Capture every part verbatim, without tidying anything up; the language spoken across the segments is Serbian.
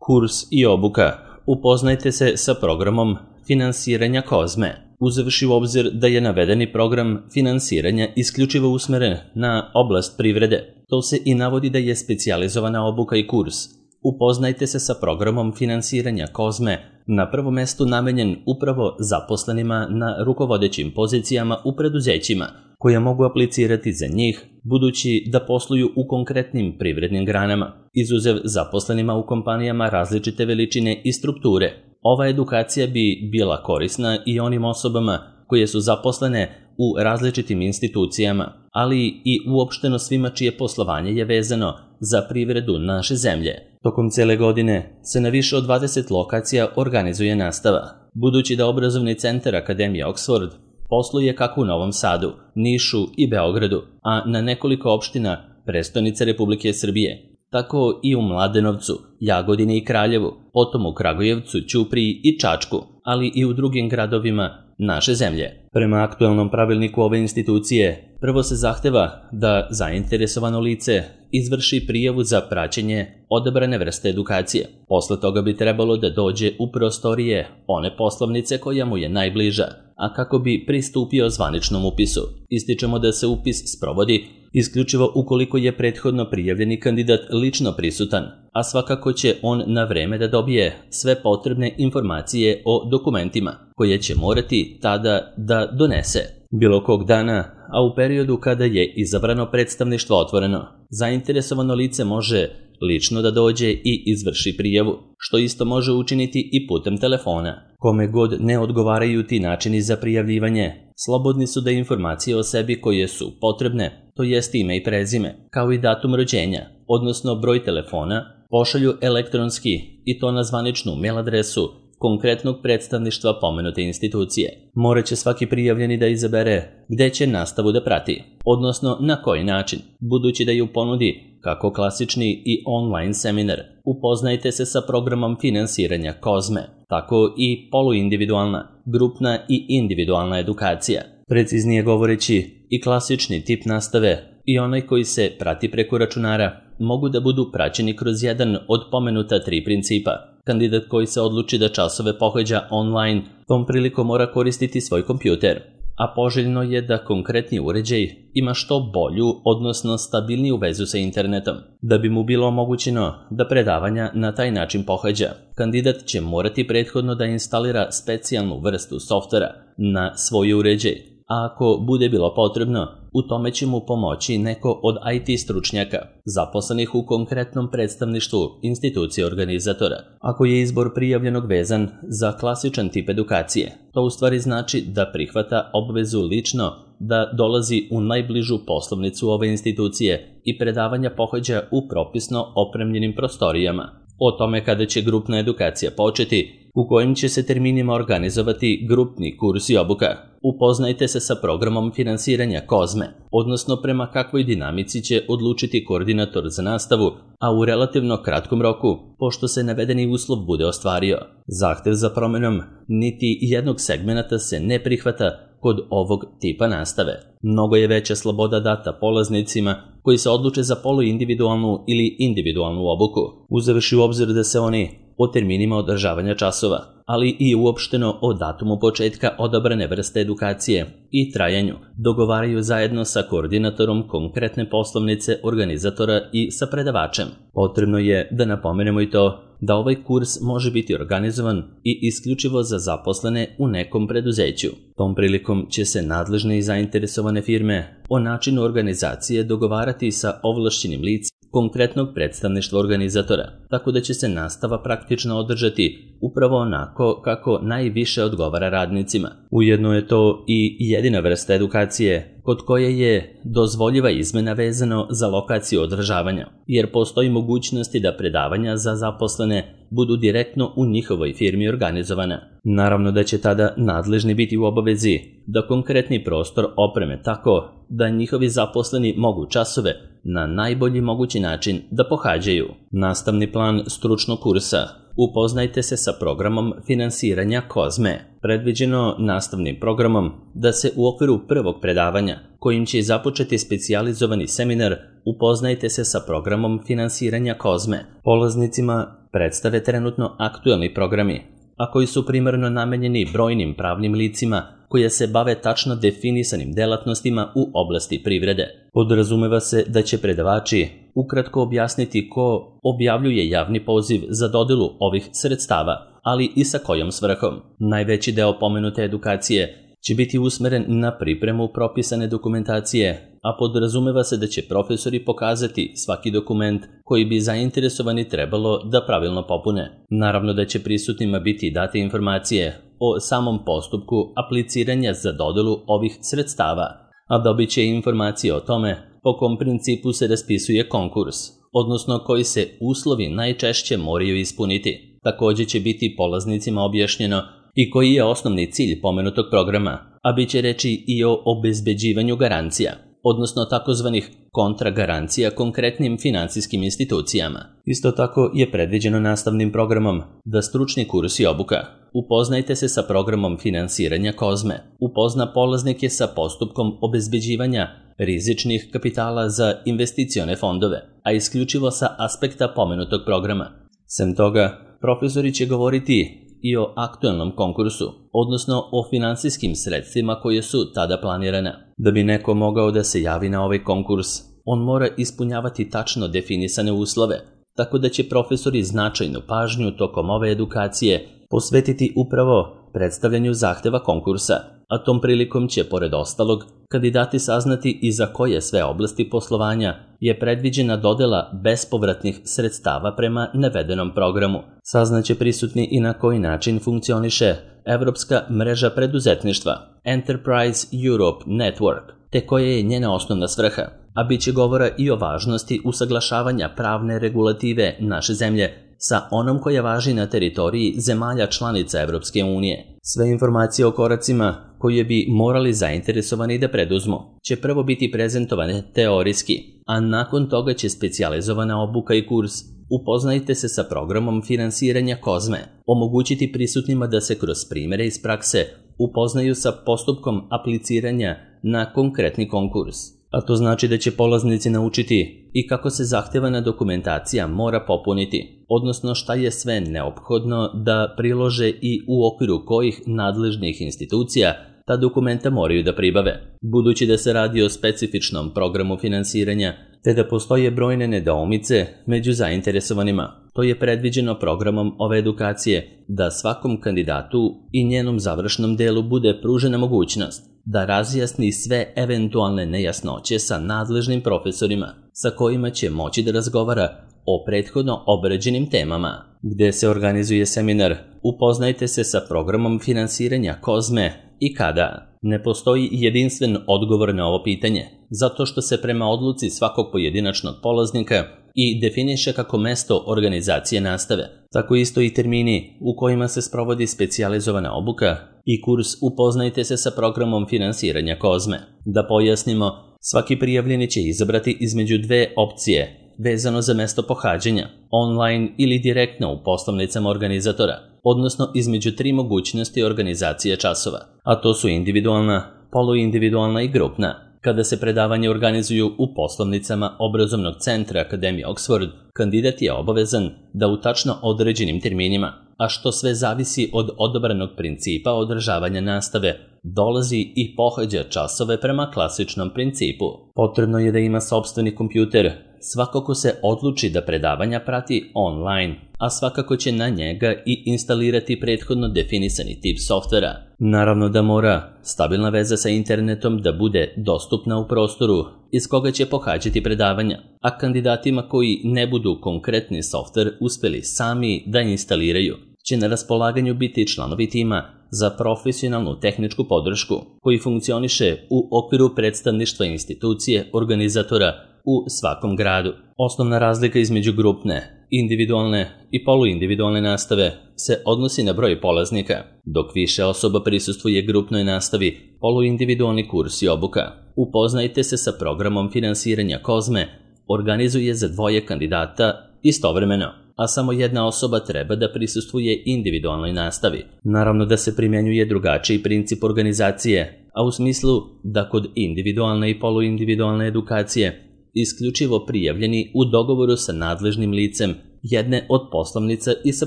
Kurs i obuka. Upoznajte se sa programom finansiranja Kozme. Uzevši u obzir da je navedeni program finansiranja isključivo usmeren na oblast privrede, to se i navodi da je specijalizovana obuka i kurs. Upoznajte se sa programom finansiranja Kozme, na prvom mestu namenjen upravo zaposlenima na rukovodećim pozicijama u preduzećima, koja mogu aplicirati za njih, budući da posluju u konkretnim privrednim granama, izuzev zaposlenima u kompanijama različite veličine i strukture. Ova edukacija bi bila korisna i onim osobama koje su zaposlene u različitim institucijama, ali i uopšteno svima čije poslovanje je vezano za privredu naše zemlje. Tokom cele godine se na više od dvadeset lokacija organizuje nastava, budući da obrazovni centar Akademije Oxford posluje kako u Novom Sadu, Nišu i Beogradu, a na nekoliko opština prestonice Republike Srbije, tako i u Mladenovcu, Jagodini i Kraljevu, potom u Kragujevcu, Ćupriji i Čačku, ali i u drugim gradovima naše zemlje. Prema aktuelnom pravilniku ove institucije, prvo se zahteva da zainteresovano lice izvrši prijavu za praćenje odabrane vrste edukacije. Posle toga bi trebalo da dođe u prostorije one poslovnice koja mu je najbliža, a kako bi pristupio zvaničnom upisu. Ističemo da se upis sprovodi isključivo ukoliko je prethodno prijavljeni kandidat lično prisutan, a svakako će on na vreme da dobije sve potrebne informacije o dokumentima, koje će morati tada da donese. Bilo kog dana, a u periodu kada je izabrano predstavništvo otvoreno, zainteresovano lice može lično da dođe i izvrši prijavu, što isto može učiniti i putem telefona. Kome god ne odgovaraju ti načini za prijavljivanje, slobodni su da informacije o sebi koje su potrebne, to jest ime i prezime, kao i datum rođenja, odnosno broj telefona, pošalju elektronski i to na zvaničnu mail adresu konkretnog predstavništva pomenute institucije. Morat će svaki prijavljeni da izabere gde će nastavu da prati, odnosno na koji način, budući da je u ponudi kako klasični i online seminar. Upoznajte se sa programom finansiranja Kozme, tako i poluindividualna, grupna i individualna edukacija. Preciznije govoreći, i klasični tip nastave i onaj koji se prati preko računara mogu da budu praćeni kroz jedan od pomenuta tri principa. Kandidat koji se odluči da časove pohađa online, tom prilikom mora koristiti svoj kompjuter, a poželjno je da konkretni uređaj ima što bolju, odnosno stabilniju vezu sa internetom. Da bi mu bilo omogućeno da predavanja na taj način pohađa, kandidat će morati prethodno da instalira specijalnu vrstu softvera na svoj uređaj, a ako bude bilo potrebno, u tome će mu pomoći neko od I T stručnjaka, zaposlenih u konkretnom predstavništvu institucije organizatora. Ako je izbor prijavljenog vezan za klasičan tip edukacije, to u stvari znači da prihvata obvezu lično da dolazi u najbližu poslovnicu ove institucije i predavanja pohađa u propisno opremljenim prostorijama. O tome kada će grupna edukacija početi, u kojim će se terminima organizovati grupni kurs i obuka. Upoznajte se sa programom finansiranja Kozme, odnosno prema kakvoj dinamici će odlučiti koordinator za nastavu, a u relativno kratkom roku, pošto se navedeni uslov bude ostvario. Zahtev za promenom niti jednog segmenta se ne prihvata kod ovog tipa nastave. Mnogo je veća sloboda data polaznicima koji se odluče za poluindividualnu ili individualnu obuku, uzevši u obzir da se oni o terminima održavanja časova, ali i uopšteno o datumu početka odabrane vrste edukacije i trajanju, dogovaraju zajedno sa koordinatorom konkretne poslovnice organizatora i sa predavačem. Potrebno je da napomenemo i to da ovaj kurs može biti organizovan i isključivo za zaposlene u nekom preduzeću. Tom prilikom će se nadležne i zainteresovane firme o načinu organizacije dogovarati sa ovlašćenim licem konkretnog predstavništva organizatora, tako da će se nastava praktično održati upravo onako kako najviše odgovara radnicima. Ujedno je to i jedina vrsta edukacije kod koje je dozvoljiva izmena vezano za lokaciju održavanja, jer postoji mogućnosti da predavanja za zaposlene budu direktno u njihovoj firmi organizovana. Naravno da će tada nadležni biti u obavezi da konkretni prostor opreme tako da njihovi zaposleni mogu časove na najbolji mogući način da pohađaju. Nastavni plan stručnog kursa. Upoznajte se sa programom finansiranja Kozme. Predviđeno nastavnim programom da se u okviru prvog predavanja, kojim će započeti specijalizovani seminar, upoznajte se sa programom finansiranja Kozme. Polaznicima predstave trenutno aktuelni programi, a koji su primarno namenjeni brojnim pravnim licima koje se bave tačno definisanim delatnostima u oblasti privrede. Podrazumeva se da će predavači ukratko objasniti ko objavljuje javni poziv za dodelu ovih sredstava, ali i sa kojom svrhom. Najveći deo pomenute edukacije će biti usmeren na pripremu propisane dokumentacije, a podrazumeva se da će profesori pokazati svaki dokument koji bi zainteresovani trebalo da pravilno popune. Naravno da će prisutnima biti date informacije o samom postupku apliciranja za dodelu ovih sredstava, a dobit će informacije o tome po kom principu se raspisuje konkurs, odnosno koji se uslovi najčešće moraju ispuniti. Također će biti polaznicima objašnjeno i koji je osnovni cilj pomenutog programa, a bit će reći i o obezbeđivanju garancija, odnosno takozvanih kontragarancija konkretnim financijskim institucijama. Isto tako je predviđeno nastavnim programom da stručni kurs i obuka upoznajte se sa programom finansiranja Kozme, upozna polaznike sa postupkom obezbeđivanja rizičnih kapitala za investicione fondove, a isključivo sa aspekta pomenutog programa. Sem toga, profesori će govoriti i o aktuelnom konkursu, odnosno o finansijskim sredstvima koje su tada planirana. Da bi neko mogao da se javi na ovaj konkurs, on mora ispunjavati tačno definisane uslove, tako da će profesori značajnu pažnju tokom ove edukacije posvetiti upravo predstavljanju zahteva konkursa, a tom prilikom će, pored ostalog, kandidati saznati i za koje sve oblasti poslovanja je predviđena dodela bespovratnih sredstava prema navedenom programu. Saznaće prisutni i na koji način funkcioniše Evropska mreža preduzetništva Enterprise Europe Network, te koja je njena osnovna svrha, a bit će govora i o važnosti usaglašavanja pravne regulative naše zemlje sa onom koja važi na teritoriji zemalja članica Evropske unije. Sve informacije o koracima koje bi morali zainteresovani da preduzmu će prvo biti prezentovane teorijski, a nakon toga će specijalizovana obuka i kurs Upoznajte se sa programom finansiranja Kozme, omogućiti prisutnima da se kroz primjere iz prakse upoznaju sa postupkom apliciranja na konkretni konkurs. A to znači da će polaznici naučiti i kako se zahtevana dokumentacija mora popuniti, odnosno šta je sve neophodno da prilože i u okviru kojih nadležnih institucija ta dokumenta moraju da pribave. Budući da se radi o specifičnom programu finansiranja, te da postoje brojne nedoumice među zainteresovanima, to je predviđeno programom ove edukacije da svakom kandidatu i njenom završnom delu bude pružena mogućnost da razjasni sve eventualne nejasnoće sa nadležnim profesorima sa kojima će moći da razgovara o prethodno obrađenim temama. Gde se organizuje seminar Upoznajte se sa programom finansiranja Kozme i kada? Ne postoji jedinstven odgovor na ovo pitanje, zato što se prema odluci svakog pojedinačnog polaznika i definiše kako mesto organizacije nastave, tako isto i termini u kojima se sprovodi specijalizovana obuka i kurs Upoznajte se sa programom finansiranja Kozme. Da pojasnimo, svaki prijavljeni će izabrati između dve opcije vezano za mesto pohađanja, online ili direktno u poslovnicama organizatora, odnosno između tri mogućnosti organizacije časova, a to su individualna, poluindividualna i grupna. Kada se predavanje organizuju u poslovnicama obrazovnog centra Akademije Oxford, kandidat je obavezan da u tačno određenim terminima, a što sve zavisi od odabranog principa održavanja nastave, dolazi i pohađa časove prema klasičnom principu. Potrebno je da ima sopstveni kompjuter, svakako se odluči da predavanja prati online, a svakako će na njega i instalirati prethodno definisani tip softvera. Naravno da mora stabilna veza sa internetom da bude dostupna u prostoru iz koga će pohađati predavanja, a kandidatima koji ne budu konkretni softver uspeli sami da instaliraju, će na raspolaganju biti članovi tima za profesionalnu tehničku podršku koji funkcioniše u okviru predstavništva institucije organizatora u svakom gradu. Osnovna razlika između grupne, individualne i poluindividualne nastave se odnosi na broj polaznika, dok više osoba prisustvuje grupnoj nastavi, poluindividualni kurs i obuka. Upoznajte se sa programom finansiranja Kozme, organizuje za dvoje kandidata istovremeno, a samo jedna osoba treba da prisustvuje individualnoj nastavi. Naravno da se primjenjuje drugačiji princip organizacije, a u smislu da kod individualne i poluindividualne edukacije isključivo prijavljeni u dogovoru sa nadležnim licem jedne od poslovnica i sa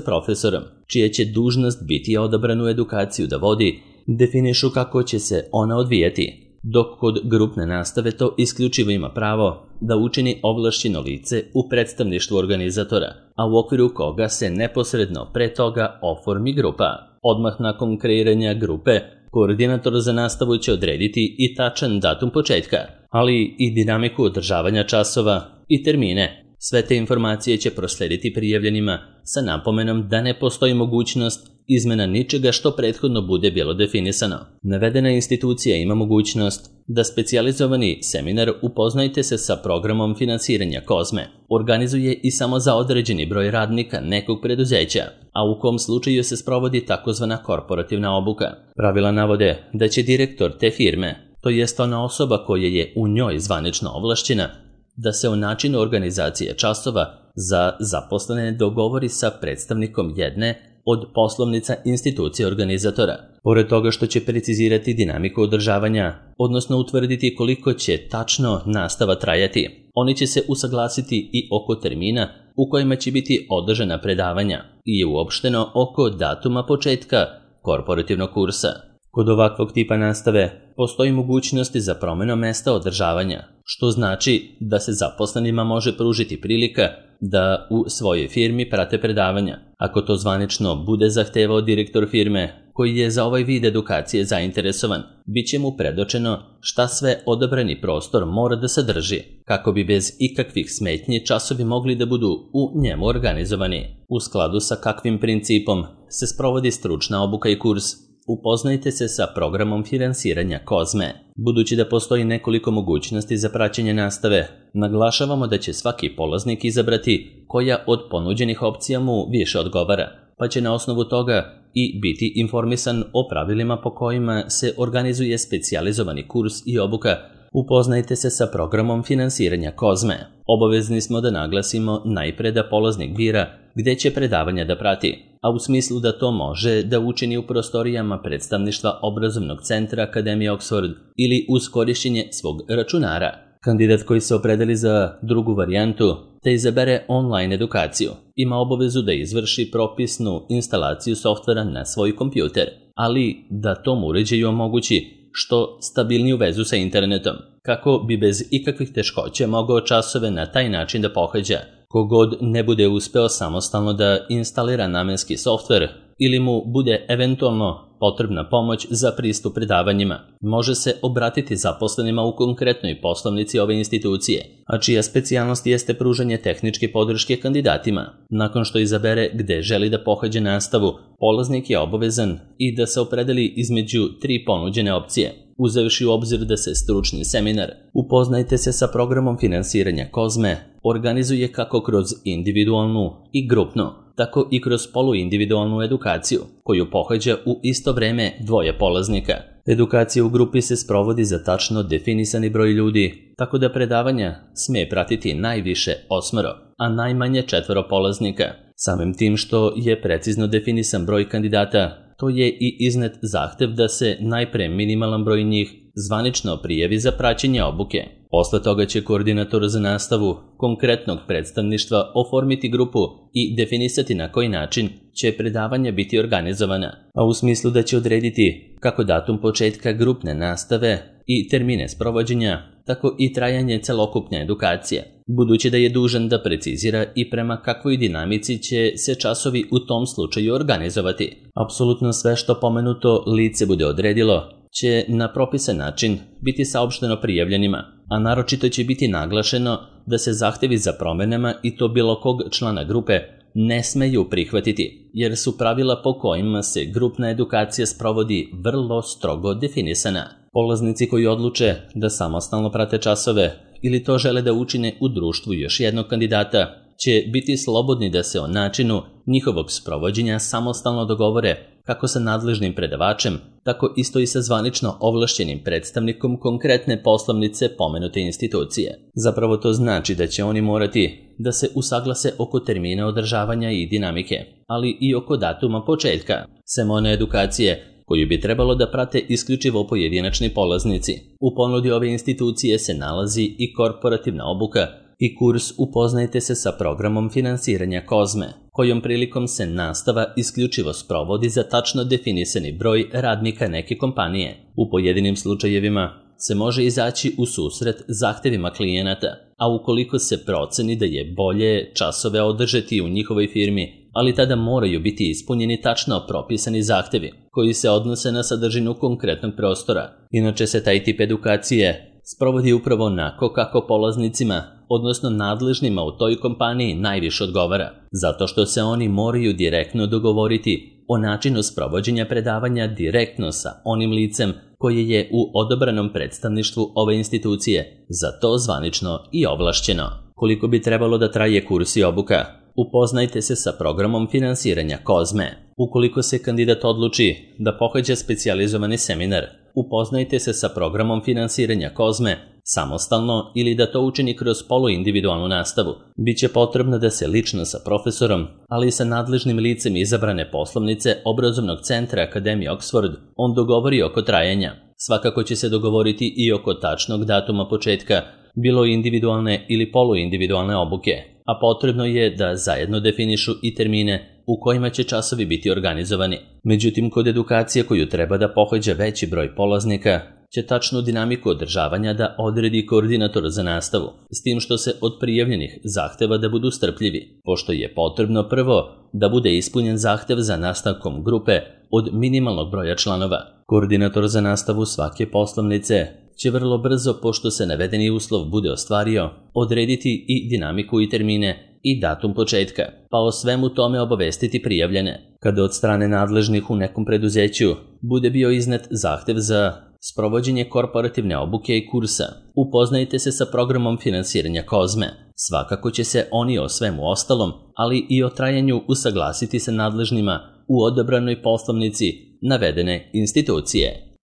profesorom, čija će dužnost biti odabranu edukaciju da vodi, definišu kako će se ona odvijati, dok kod grupne nastave to isključivo ima pravo da učini ovlašćeno lice u predstavništvu organizatora, a u okviru koga se neposredno pre toga oformi grupa. Odmah nakon kreiranja grupe, koordinator za nastavu će odrediti i tačan datum početka, ali i dinamiku održavanja časova i termine. Sve te informacije će proslediti prijavljenima sa napomenom da ne postoji mogućnost izmena ničega što prethodno bude bilo definisano. Navedena institucija ima mogućnost da specijalizovani seminar Upoznajte se sa programom finansiranja Kozme organizuje i samo za određeni broj radnika nekog preduzeća, a u kom slučaju se sprovodi takozvana korporativna obuka. Pravila navode da će direktor te firme, to jest ona osoba koja je u njoj zvanično ovlašćena, da se o načinu organizacije časova za zaposlene dogovori sa predstavnikom jedne od poslovnica institucije organizatora. Pored toga što će precizirati dinamiku održavanja, odnosno utvrditi koliko će tačno nastava trajati, oni će se usaglasiti i oko termina u kojima će biti održana predavanja i uopšteno oko datuma početka korporativnog kursa. Kod ovakvog tipa nastave postoji mogućnosti za promjenu mesta održavanja, što znači da se zaposlenima može pružiti prilika da u svojoj firmi prate predavanja. Ako to zvanično bude zahtevao direktor firme koji je za ovaj vid edukacije zainteresovan, bit će mu predočeno šta sve odabrani prostor mora da sadrži, kako bi bez ikakvih smetnji časovi mogli da budu u njemu organizovani. U skladu sa kakvim principom se sprovodi stručna obuka i kurs Upoznajte se sa programom finansiranja Kozme. Budući da postoji nekoliko mogućnosti za praćenje nastave, naglašavamo da će svaki polaznik izabrati koja od ponuđenih opcija mu više odgovara, pa će na osnovu toga i biti informisan o pravilima po kojima se organizuje specijalizovani kurs i obuka. Upoznajte se sa programom finansiranja Kozme. Obavezni smo da naglasimo najpre da polaznik bira gde će predavanja da prati, a u smislu da to može da učini u prostorijama predstavništva obrazovnog centra Akademije Oxford ili uz korišćenje svog računara. Kandidat koji se opredeli za drugu varijantu te izabere online edukaciju ima obavezu da izvrši propisnu instalaciju softvera na svoj kompjuter, ali da tom uređaju omogući što stabilniju vezu sa internetom, kako bi bez ikakvih teškoća mogao časove na taj način da pohađa. Kogod ne bude uspeo samostalno da instalira namenski softver ili mu bude eventualno potrebna pomoć za pristup predavanjima, može se obratiti zaposlenima u konkretnoj poslovnici ove institucije, a čija specijalnost jeste pružanje tehničke podrške kandidatima. Nakon što izabere gde želi da pohađa nastavu, polaznik je obavezan i da se opredeli između tri ponuđene opcije. Uzevši u obzir da se stručni seminar Upoznajte se sa programom finansiranja Kozme organizuje kako kroz individualnu i grupnu, tako i kroz poluindividualnu edukaciju, koju pohađa u isto vreme dvoje polaznika. Edukacija u grupi se sprovodi za tačno definisani broj ljudi, tako da predavanja sme pratiti najviše osmoro, a najmanje četvoro polaznika. Samim tim što je precizno definisan broj kandidata, to je i iznet zahtev da se najpre minimalan broj njih zvanično prijavi za praćenje obuke. Posle toga će koordinator za nastavu konkretnog predstavništva oformiti grupu i definisati na koji način će predavanja biti organizovana, a u smislu da će odrediti kako datum početka grupne nastave i termine sprovođenja, tako i trajanje celokupne edukacije, budući da je dužan da precizira i prema kakvoj dinamici će se časovi u tom slučaju organizovati. Apsolutno sve što pomenuto lice bude odredilo će na propisan način biti saopšteno prijavljenima, a naročito će biti naglašeno da se zahtevi za promenama i to bilo kog člana grupe ne smeju prihvatiti, jer su pravila po kojima se grupna edukacija sprovodi vrlo strogo definisana. Polaznici koji odluče da samostalno prate časove ili to žele da učine u društvu još jednog kandidata, će biti slobodni da se o načinu njihovog sprovođenja samostalno dogovore kako sa nadležnim predavačem, tako isto i sa zvanično ovlašćenim predstavnikom konkretne poslovnice pomenute institucije. Zapravo to znači da će oni morati da se usaglase oko termina održavanja i dinamike, ali i oko datuma početka semone edukacije, koju bi trebalo da prate isključivo pojedinačni polaznici. U ponudi ove institucije se nalazi i korporativna obuka i kurs Upoznajte se sa programom finansiranja Kozme, kojom prilikom se nastava isključivo sprovodi za tačno definisani broj radnika neke kompanije. U pojedinim slučajevima se može izaći u susret zahtevima klijenata, a ukoliko se proceni da je bolje časove održati u njihovoj firmi, ali tada moraju biti ispunjeni tačno propisani zahtevi, koji se odnose na sadržinu konkretnog prostora. Inače se taj tip edukacije sprovodi upravo onako kako polaznicima, odnosno nadležnima u toj kompaniji najviše odgovara, zato što se oni moraju direktno dogovoriti o načinu sprovođenja predavanja direktno sa onim licem koje je u odabranom predstavništvu ove institucije, za to zvanično i ovlašćeno. Koliko bi trebalo da traje kurs i obuka? Upoznajte se sa programom finansiranja Kozme. Ukoliko se kandidat odluči da pohađa specijalizovani seminar, upoznajte se sa programom finansiranja Kozme samostalno ili da to učini kroz poluindividualnu nastavu. Biće potrebno da se lično sa profesorom, ali i sa nadležnim licem izabrane poslovnice obrazovnog centra Akademije Oxford on dogovori oko trajanja. Svakako će se dogovoriti i oko tačnog datuma početka, bilo individualne ili poluindividualne obuke, a potrebno je da zajedno definišu i termine u kojima će časovi biti organizovani. Međutim, kod edukacije koju treba da pohađa veći broj polaznika, će tačnu dinamiku održavanja da odredi koordinator za nastavu, s tim što se od prijavljenih zahteva da budu strpljivi, pošto je potrebno prvo da bude ispunjen zahtev za nastavkom grupe od minimalnog broja članova. Koordinator za nastavu svake poslovnice će vrlo brzo, pošto se navedeni uslov bude ostvario, odrediti i dinamiku i termine i datum početka, pa o svemu tome obavestiti prijavljene. Kada od strane nadležnih u nekom preduzeću bude bio iznet zahtev za sprovođenje korporativne obuke i kursa, upoznajte se sa programom finansiranja Kozme. Svakako će se oni o svemu ostalom, ali i o trajanju usaglasiti sa nadležnima u odabranoj poslovnici navedene institucije.